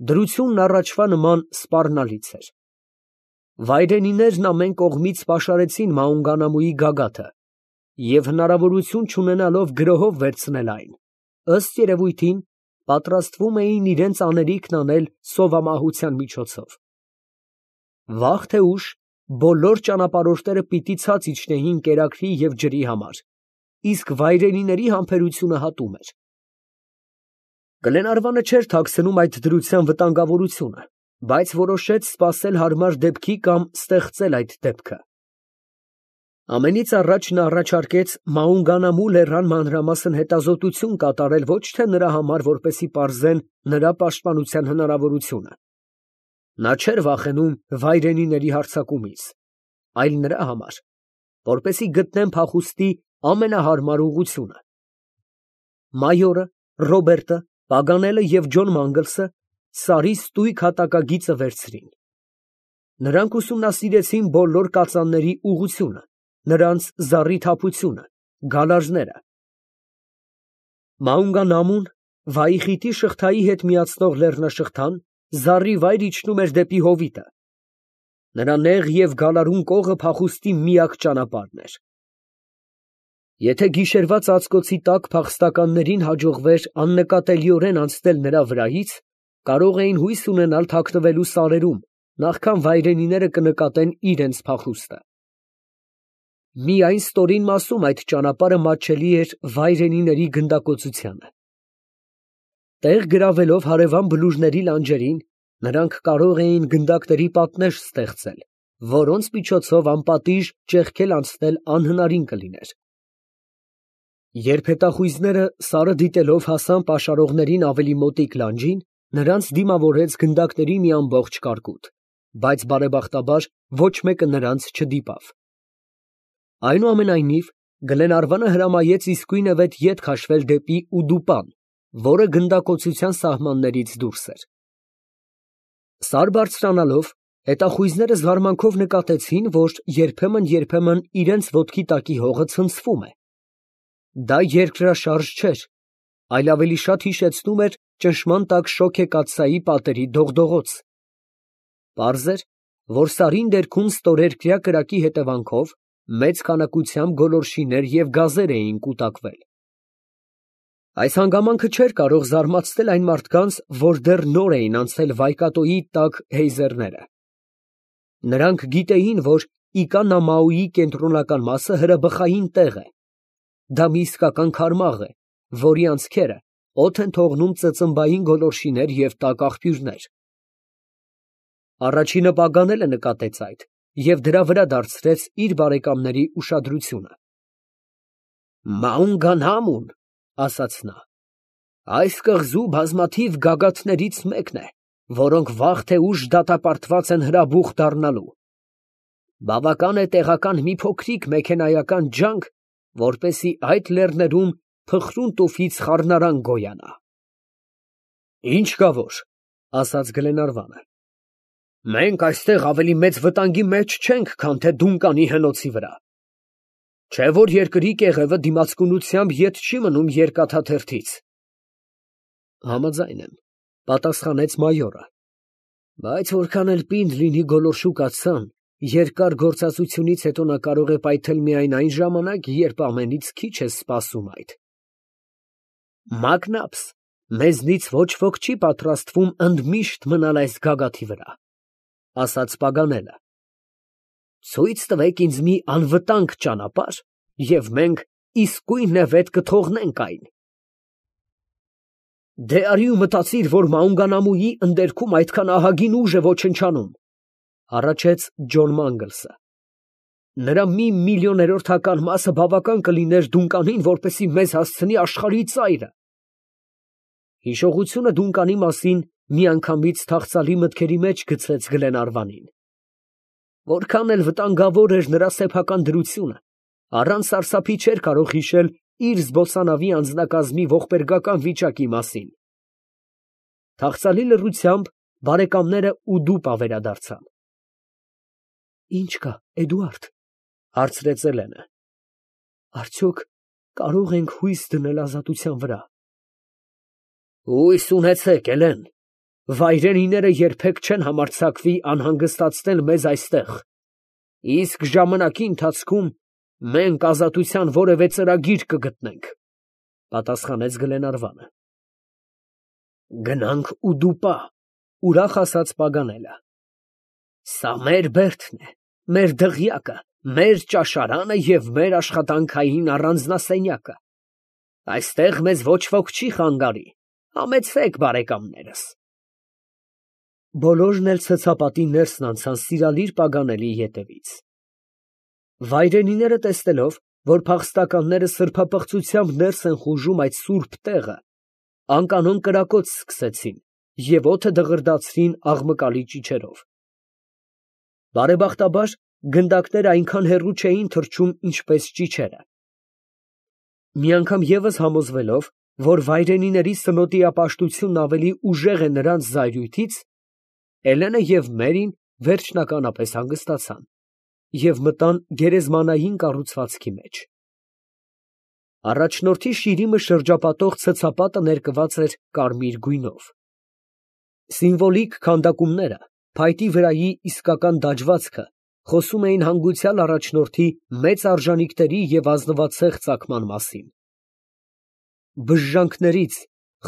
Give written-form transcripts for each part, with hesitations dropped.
Դրությունն առաջվա նման սպառնալից էր։ Վայրենիներն ամեն կողմից պաշարեցին Մաունգանամուի գագաթը և հնարավորություն չունենալով գրոհով վերցնել այն, ըստ երևույթին, պատրաստվում էին իրենց անելիքն անել սովամահության միջոցով։ Վաղ թե ուշ բոլոր ճանապարհորդները պիտի ցած իջնեին կերակրի և ջրի համար, իսկ վայրենիների համբերությունը հատում էր։ Գլենարվանը չէր թաքցնում այդ դրության վտանգավորությունը, բայց որոշեց սպասել հարմար դեպքի կամ ստեղծել այդ դեպքը։ Ամենից առաջ նա առաջարկեց Մաունգանամու լեռան մանրամասն հետազոտություն կատարել ոչ թե նրա համար, որպեսզի պարզեն նրա պաշտպանության հնարավորությունը։ Նա չէր վախենում վայրենիների հարձակումից, այլ նրա համար, որպեսզի գտնեն փախուստի ամենահարմար ուղղությունը։ Մայորը, Ռոբերտը, Պագանելը և Ջոն Մանգլսը սարի ստույգ հատակագիծը վերցրին։ Նրանք ուսումնասիրեցին բոլոր կածանների ուղղությունը, նրանց զառիթափությունը, գալարները։ Մաունգանամուն, Վայիխիտի շղթայի հետ միացնող լեռնաշղթան, զառիվայր իջնում էր դեպի հովիտը։ Նրա նեղ և գալարուն կողը փախուստի միակ ճանապարհն էր։ Եթե գիշերվա ծածկոցի տակ փախստականներին հաջողվեր աննկատելիորեն անցնել նրա վրայից, կարող էին հույս ունենալ թաքնվելու սարերում, նախքան վայրենիները կնկատեն իրենց փախուստը։ Միայն ստորին մասում այդ ճանապարհը մատչելի էր վայրենիների գնդակոծությանը։ Տեղ գրավելով հարևան բլուրների լանջերին, նրանք կարող էին գնդակների պատնեշ ստեղծել, որոնց միջոցով անպատիժ ճեղքել անցնել անհնարին կլիներ։ Երբ հետախույզները սարը դիտելով հասան պաշարողներին ավելի մոտիկ լանջին, նրանց դիմավորեց գնդակների մի ամբողջ կարկուտ, բայց բարեբախտաբար ոչ մեկը նրանց չդիպավ։ Այնուամենայնիվ, Գլենարվանը հրամայեց իսկույնևեթ ետ քաշվել դեպի Ուդուպան, որը գնդակոծության սահմաններից դուրս էր։ Սար բարձրանալով, հետախույզները զարմանքով նկատեցին, որ երբեմն իրենց ոտքի տակի հողը ցնցվում է։ Դա երկրաշարժ չէր, այլ ավելի շատ հիշեցնում էր ճնշման տակ շոգեկաթսայի պատերի դողդողոց։ Պարզ էր, որ սարին ներքուն ստորերկրյա կրակի հետևանքով մեծ քանակությամբ գոլորշիներ և գազեր էին կուտակվել։ Այս հանգամանքը չէր կարող զարմացնել այն մարդկանց, որ դեռ նոր էին անցել Վայկատոյի տաք հեյզերները։ Նրանք գիտեին, որ Իկանամաուի կենտրոնական մասը հրաբխային տեղ է։ Դա մի իսկական քարմաղ է, որի անցքերը օդ են թողնում ծծմբային գոլորշիներ և տաք աղբյուրներ։ Առաջինը Պագանելը նկատեց այդ և դրա վրա դարձրեց իր բարեկամների ուշադրությունը։ «Մաունգանամուն, ֊ ասաց նա, ֊ այս կղզու բազմաթիվ գագաթներից մեկն է, որոնք վաղ թե ուշ դատապարտված են հրաբուխ դառնալու։ Բավական է տեղական մի փոքրիկ մեքենայական ջանք, որպեսզի այդ լեռներում փխրուն տուֆից խառնարան գոյանա»։ «Ինչ կա որ, ֊ ասաց Գլենարվանը, ֊ մենք այստեղ ավելի մեծ վտանգի մեջ չենք, քան թե Դունկանի հնոցի վրա։ Չէ՞ որ երկրի կեղևը դիմացկունությամբ ետ չի մնում երկաթաթերթից։ ֊ Համաձայն եմ, ֊ պատասխանեց մայորը, ֊ բայց որքան էլ պինդ լինի գոլորշու կաթսան, երկար գործածությունից հետո նա կարող է պայթել միայն այն ժամանակ, երբ ամենից քիչ ես սպասում այդ։ Մակնաբս, մեզնից ոչ ոք չի պատրաստվում ընդմիշտ մնալ այս գագաթի վրա, ֊ ասաց Պագանելը։ Ցույց տվեք ինձ մի անվտանգ ճանապարհ, և մենք իսկույնևեթ կթողնենք այն։ Դե արի ու մտածիր, որ Մաունգանամուի ընդերքում այդքան ահագին ուժ է ոչնչանում, ֊ հառաչեց Ջոն Մանգլսը։ Նրա մի միլիոներորդական մասը բավական կլիներ Դունկանին, որպեսզի մեզ հասցնի աշխարհի ծայրը։ Հիշողությունը Դունկանի մասին միանգամից թախծալի մտքերի մեջ գցեց Գլենարվանին։ Որքան էլ վտանգավոր էր նրա սեփական դրությունը, առանց սարսափի չէր կարող հիշել իր զբոսանավի անձնակազմի ողբերգական վիճակի մասին։ Թախծալի լռությամբ բարեկամները Ուդուպա վերադարձան։ Ի՞նչ կա, Էդուարդ, ֊ հարցրեց Էլենը։ Արդյոք կարող ենք հույս դնել ազատության վրա։ Հույս ունեցեք, Էլեն, Վայրենիները երբեք չեն համարձակվի անհանգստացնել մեզ այստեղ, իսկ ժամանակի ընթացքում մենք ազատության որևէ ծրագիր կգտնենք, ֊ պատասխանեց Գլենարվանը։ Գնանք Ուդուպա, ուրախ ասաց Պագանելը։ Սա մեր բերդն է, մեր դղյակը, մեր ճաշարանը և մեր աշխատանքային առանձնասենյակը։ Այստեղ մեզ ոչ ոք չի խանգարի, համեցեք, բարեկամներս։ Բոլորն էլ ցցապատի ներսն անցան սիրալիր Պագանելի ետևից։ Վայրենիները տեսնելով, որ փախստականները սրբապղծությամբ ներս են խուժում այդ սուրբ տեղը, անկանոն կրակոց սկսեցին և օդը դղրդացրին աղմկալի ճիչերով։ Բարեբախտաբար գնդակները այնքան հեռու չէին թռչում, ինչպես ճիչերը։ Մի անգամ ևս համոզվելով, որ վայրենիների սնոտիապաշտությունն ավելի ուժեղ է նրանց զայրույթից, Էլենը և Մերին վերջնականապես հանգստացան և մտան գերեզմանային կառուցվածքի մեջ։ Առաջնորդի շիրիմը շրջապատող ցցապատը ներկված էր կարմիր գույնով։ Սիմվոլիկ քանդակումները, փայտի վրայի իսկական դաջվածքը խոսում էին հանգուցյալ առաջնորդի մեծ արժանիքների և ազնվացեղ ծագման մասին։ Բժժանքներից,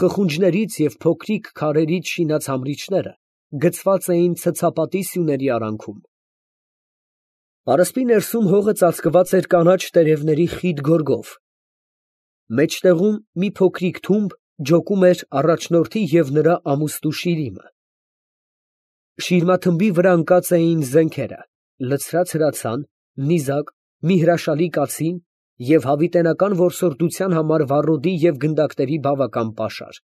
խխունջներից և փոքրիկ քարերից շինած համրիչները գցված էին ցցապատի սյուների արանքում։ Պարսպի ներսում հողը ծածկված էր կանաչ տերևների խիտ գորգով։ Մեջտեղում մի փոքրիկ թումբ ջոկում էր առաջնորդի և նրա ամուստու շիրիմը։ Շիրմաթմբի վրա ընկած էին զենքերը, լցրած հրացան, նիզակ, մի հրաշալի կացին և հավիտենական որսորդության համար վառոդի և գնդակների բավական պաշար։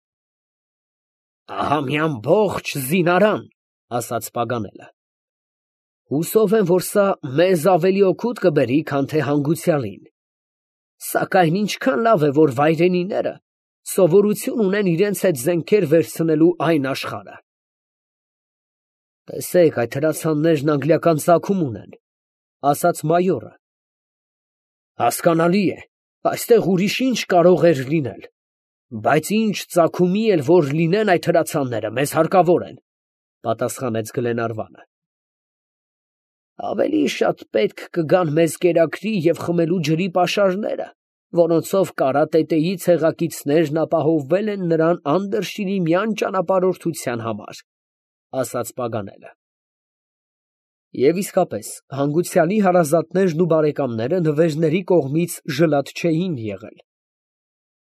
Ահա մի ամբողջ զինարան, ֊ ասաց Պագանելը։ Հուսով եմ, որ սա մեզ ավելի օգուտ կբերի, քան թե հանգուցյալին։ Սակայն ինչքան լավ է, որ վայրենիները սովորություն ունեն իրենց հետ զենքեր վերցնելու այն աշխարհը։ Տեսեք, այդ հրացաններն անգլիական ծագում ունեն, ֊ ասաց մայորը։ Հասկանալի է, այստեղ ուրիշ ինչ կարող էր լինել, բայց ինչ ծագումի էլ որ լինեն այդ հրացանները, մեզ հարկավոր են, ֊ պատասխանեց Գլենարվանը։ Ավելի շատ պետք կգան մեզ կերակրի և խմելու ջրի պաշարները, որոնցով կարատետեի ցեղակիցներն ապահովվել են նրան անդրշիրիմյան ճանապարհորդության համար, ֊ ասաց Պագանելը։ Եվ իսկապես, հանգուցյալի հարազատներն ու բարեկամները նվերների կողմից ժլատ չէին եղել։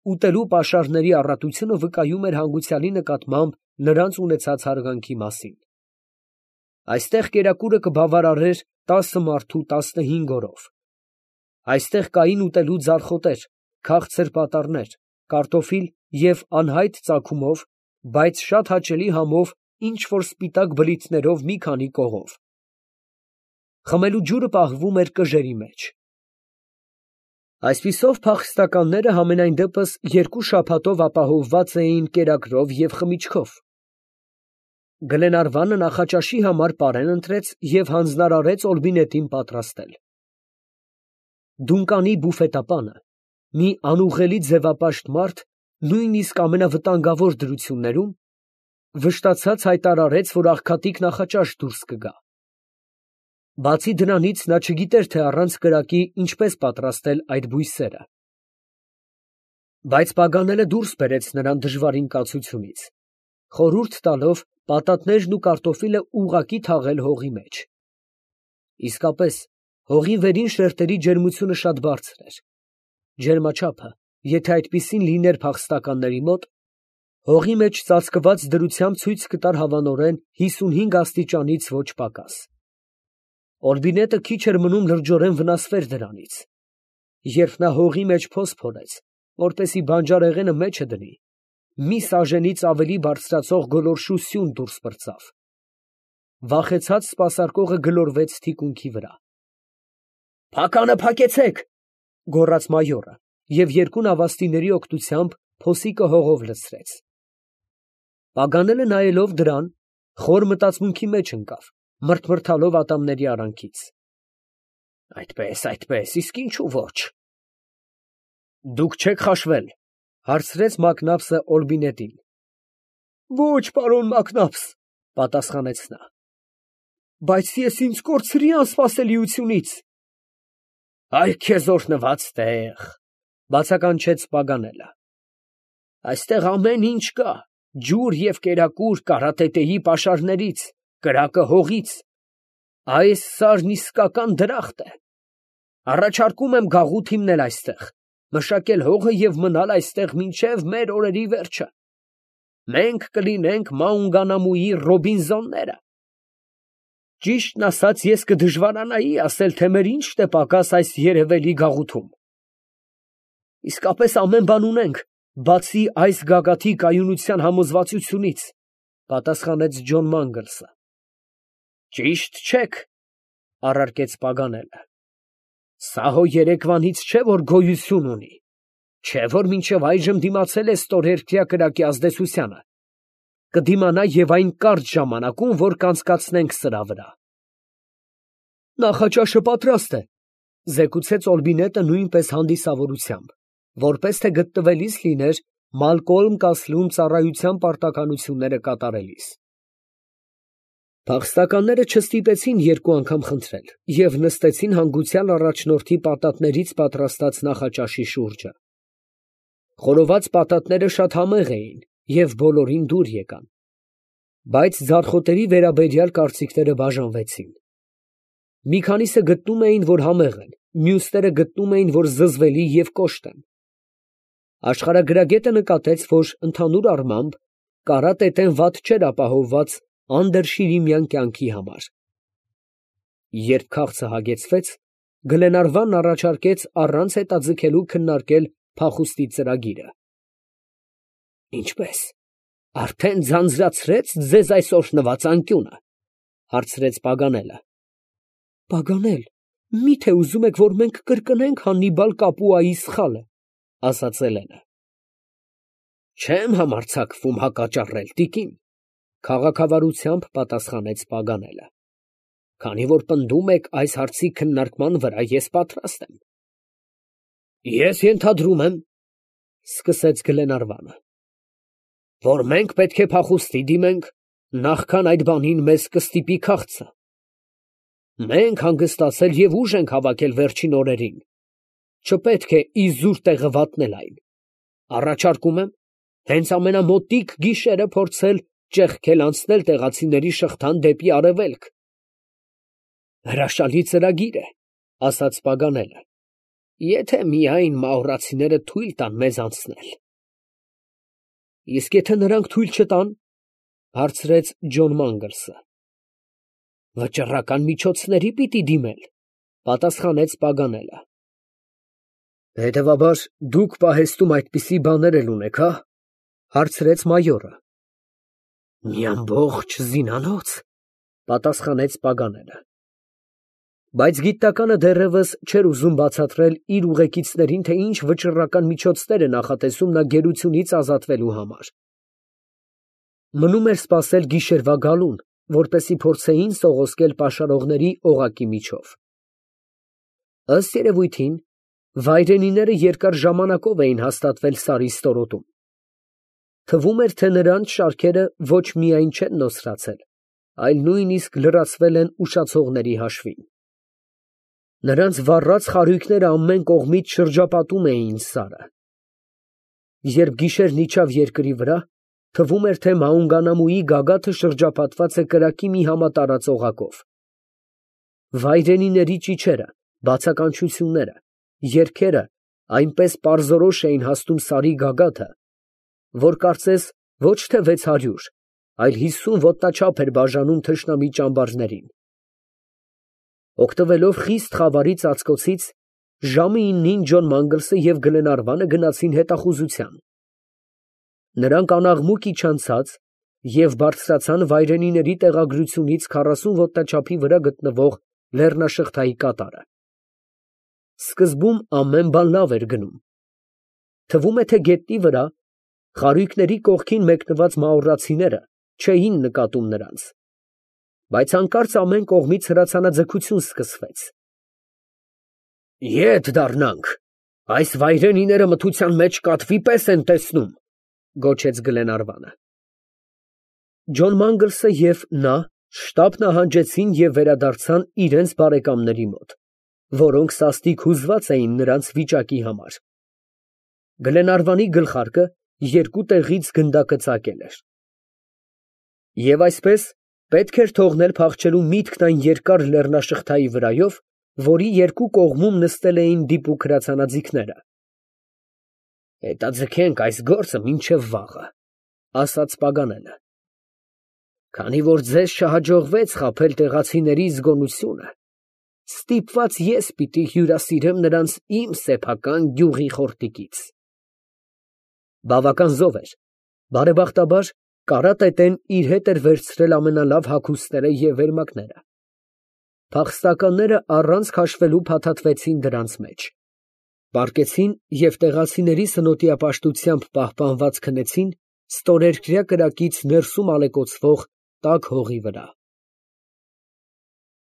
Ուտելու պաշարների առատությունը վկայում էր հանգուցյալի նկատմամբ նրանց ունեցած հարգանքի մասին։ Այստեղ կերակուրը կբավարարեր 10 մարդու 15 օրով։ Այստեղ կային ուտելու ձարխոտեր, քաղցր պատառներ, կարտոֆիլ և անհայտ ծագումով, բայց շատ հաճելի համով ինչ֊որ սպիտակ բլիթներով մի քանի կողով։ Խմելու ջուրը պահվում էր կժերի մեջ։ Այսպիսով փախստականները համենայն դեպս 2 շաբաթով ապահովված էին կերակրով և խմիչքով։ Գլենարվանը նախաճաշի համար պարեն ընտրեց և հանձնարարեց Օլբինետին պատրաստել։ Դունկանի բուֆետապանը, մի անուղղելի ձևապաշտ մարդ, նույնիսկ ամենավտանգավոր դրություններում, վշտացած հայտարարեց, որ աղքատիկ նախաճաշ դուրս կգա։ Բացի դրանից, նա չգիտեր, թե առանց կրակի ինչպես պատրաստել այդ բույսերը։ Բայց Պագանելը դուրս բերեց նրան դժվարին կացությունից, խորհուրդ տալով պատատներն ու կարտոֆիլը ուղղակի թաղել հողի մեջ։ Իսկապես, հողի վերին շերտերի ջերմությունը շատ բարձր էր։ Ջերմաչափը, եթե այդպիսին լիներ փախստականների մոտ, հողի մեջ ծածկված դրությամբ ցույց կտար հավանորեն 55 աստիճանից ոչ պակաս։ Օլբինետը քիչ էր մնում լրջորեն վնասվեր դրանից։ Երբ նա հողի մեջ փոս փորեց, որպեսզի բանջարեղենը մեջը դնի, մի սաժենից ավելի բարձրացող գոլորշու սյուն դուրս պրծավ։ Վախեցած սպասարկողը գլորվեց թիկունքի վրա։ «Փականը փակեցեք, ֊ գոռաց մայորը և 2 նավաստիների օգնությամբ փոսիկը հողով լցրեց։ Պագանելը նայելով դրան, խոր մտածմունքի մեջ ընկավ, մռթմռթալով ատամների արանքից։ Այդպես, իսկ ինչու ոչ։ Դուք չեք խաշվել, ֊ հարցրեց Մակնաբսը Օլբինետին։ Ոչ, պարոն Մակնաբս, պատասխանեց նա, բայց ես ինձ կորցրի անսպասելիությունից։ Այ քեզ օրհնված տեղ, բացականչեց Պագանելը։ Այստեղ ամեն ինչ կա, ջուր և կերակուր կարատետեի պաշարներից, կրակը հողից։ Այս սարն իսկական դրախտ է։ Առաջարկում եմ գաղութ հիմնել այստեղ, մշակել հողը և մնալ այստեղ մինչև մեր օրերի վերջը։ Մենք կլինենք Մաունգանամուի Ռոբինզոնները։ Ճիշտն ասած, ես կդժվարանայի ասել, թե մեր ինչն է պակաս այս երևելի գաղութում։ Իսկապես ամեն բան ունենք, բացի այս գագաթի կայունության համոզվածությունից, պատասխանեց Ջոն Մանգլսը։ Ճիշտ չեք, առարկեց Պագանելը։ Սա հո երեկվանից չէ, որ գոյություն ունի, չէ, որ մինչև այժմ դիմացել է ստորերկրյա կրակի ազդեցությանը։ Կդիմանա և այն կարճ ժամանակում, որ կանցկացնենք սրա վրա։ Նախաճաշը պատրաստ է, զեկուցեց Օլբինետը նույնպես հանդիսավորությամբ, որպես թե գտնվելիս լիներ Մալկոլմ Կասլում ծառայության պարտականությունները կատարելիս։ Փախստականները չստիպեցին երկու անգամ խնդրել և նստեցին հանգուցյալ առաջնորդի պատատներից պատրաստած նախաճաշի շուրջը։ Խորոված պատատները շատ համեղ էին և բոլորին դուր եկան, բայց ձարխոտերի վերաբերյալ կարծիքները բաժանվեցին։ Մի քանիսը գտնում էին, որ համեղ են, մյուսները գտնում էին, որ զզվելի և կոշտ են։ Աշխարհագրագետը նկատեց, որ ընդհանուր առմամբ կարատետեն վատ չէր ապահովված անդրշիրիմյան կյանքի համար։ Երբ քաղցը հագեցվեց, Գլենարվանն առաջարկեց առանց հետաձգելու քննարկել փախուստի ծրագիրը։ Ինչպե՞ս, արդեն ձանձրացրեց ձեզ այս օրհնված անկյունը, հարցրեց Պագանելը։ Պագանել, միթե ուզում եք, որ մենք կրկնենք Հաննիբալ Կապուայի սխալը, ասաց Էլենը։ Չեմ համարձակվում հակաճառել, տիկին, քաղաքավարությամբ պատասխանեց Պագանելը։ Քանի որ պնդում եք այս հարցի քննարկման վրա, ես պատրաստ եմ։ Ես ենթադրում եմ, սկսեց Գլենարվանը, որ մենք պետք է փախուստի դիմենք, նախքան այդ բանին մեզ կստիպի քաղցը։ Մենք հանգստացել և ուժ ենք հավաքել վերջին օրերին, չպետք է իզուր տեղը վատնել այն։ Առաջարկում եմ հենց ամենամոտիկ գիշերը փորձել ճեղքել անցնել տեղացիների շղթան դեպի արևելք։ Հրաշալի ծրագիր է, ասաց Պագանելը, եթե միայն մաուրացիները թույլ տան մեզ անցնել։ Իսկ եթե նրանք թույլ չտան, հարցրեց Ջոն Մանգլսը։ Վճռական միջոցների պիտի դիմել, պատասխանեց Պագանելը։ Հետևաբար դուք պահեստում այդպիսի բաներ էլ ունեք, հա, հարցրեց մայորը։ Մի ամբողջ զինանոց, պատասխանեց Պագանելը։ Բայց գիտականը դեռևս չէր ուզում բացատրել իր ուղեկիցներին, թե ինչ վճռական միջոցներ է նախատեսում նա գերությունից ազատվելու համար։ Մնում էր սպասել գիշերվա գալուն, որպեսզի փորձեին սողոսկել պաշարողների օղակի միջով։ Ըստ երևույթին, վայրենիները երկար ժամանակով էին հաստատվել Սարի ստորոտում։ Թվում էր, թե նրանց շարքերը ոչ միայն չեն նոսրացել, այլ նույնիսկ լրացվել են ուշացողների հաշվին։ Նրանց վառած խարույկները ամեն կողմից շրջապատում էին Սարը։ Երբ գիշերն իջավ երկրի վրա, թվում էր, թե Մաունգանամուի գագաթը շրջապատված է կրակի մի համատարած օղակով։ Վայրենիների ճիչերը, բացականչությունները, երգերը այնպես պարզորոշ էին հասնում Սարի գագաթը, որ կարծես ոչ թե 600, այլ 50 ոտնաչափ էր բաժանում թշնամի ճամբարներին։ Օգտվելով խիստ խավարի ծածկոցից, ժամը 9-ին Ջոն Մանգլսը և Գլենարվանը գնացին հետախուզության։ Նրանք անաղմուկ իջան և բարձրացան վայրենիների տեղագրությունից 40 ոտնաչափի վրա գտնվող լեռնաշղթայի կատարը։ Սկզբում ամեն բան լավ էր գնում։ Թվում է, թե գետնի վրա խարույկների կողքին մեկնված մաուրացիները չէին նկատում նրանց։ Բայց հանկարծ ամեն կողմից հրացանաձգություն սկսվեց։ Ետ դառնանք, այս վայրենիները մթության մեջ կատվի պես են տեսնում, գոչեց Գլենարվանը։ Ջոն Մանգլսը և նա շտապ նահանջեցին և վերադարձան իրենց բարեկամների մոտ, որոնք սաստիկ հուզված էին նրանց վիճակի համար։ Գլենարվանի գլխարկը երկու տեղից գնդակը ծակել էր։ Եվ այսպես պետք էր թողնել փախչելու միտքն այն երկար լեռնաշղթայի վրայով, որի երկու կողմում նստել էին դիպուկ հրացանաձիգները։ «Հետաձգենք այս գործը մինչև վաղը», ֊ ասաց Պագանելը։ «Քանի որ ձեզ չհաջողվեց խաբել տեղացիների զգոնությունը, ստիպված ես պիտի հյուրասիրեմ նրանց իմ սեփական գյուղի խորտիկից»։ Բավական զով էր, բարեբախտաբար կարատետեն իր հետ էր վերցրել ամենալավ հագուստները և վերմակները։ Փախստականները առանց քաշվելու փաթաթվեցին դրանց մեջ, պառկեցին և տեղացիների սնոտիապաշտությամբ պահպանված քնեցին ստորերկրյա կրակից ներսում ալեկոծվող տաք հողի վրա։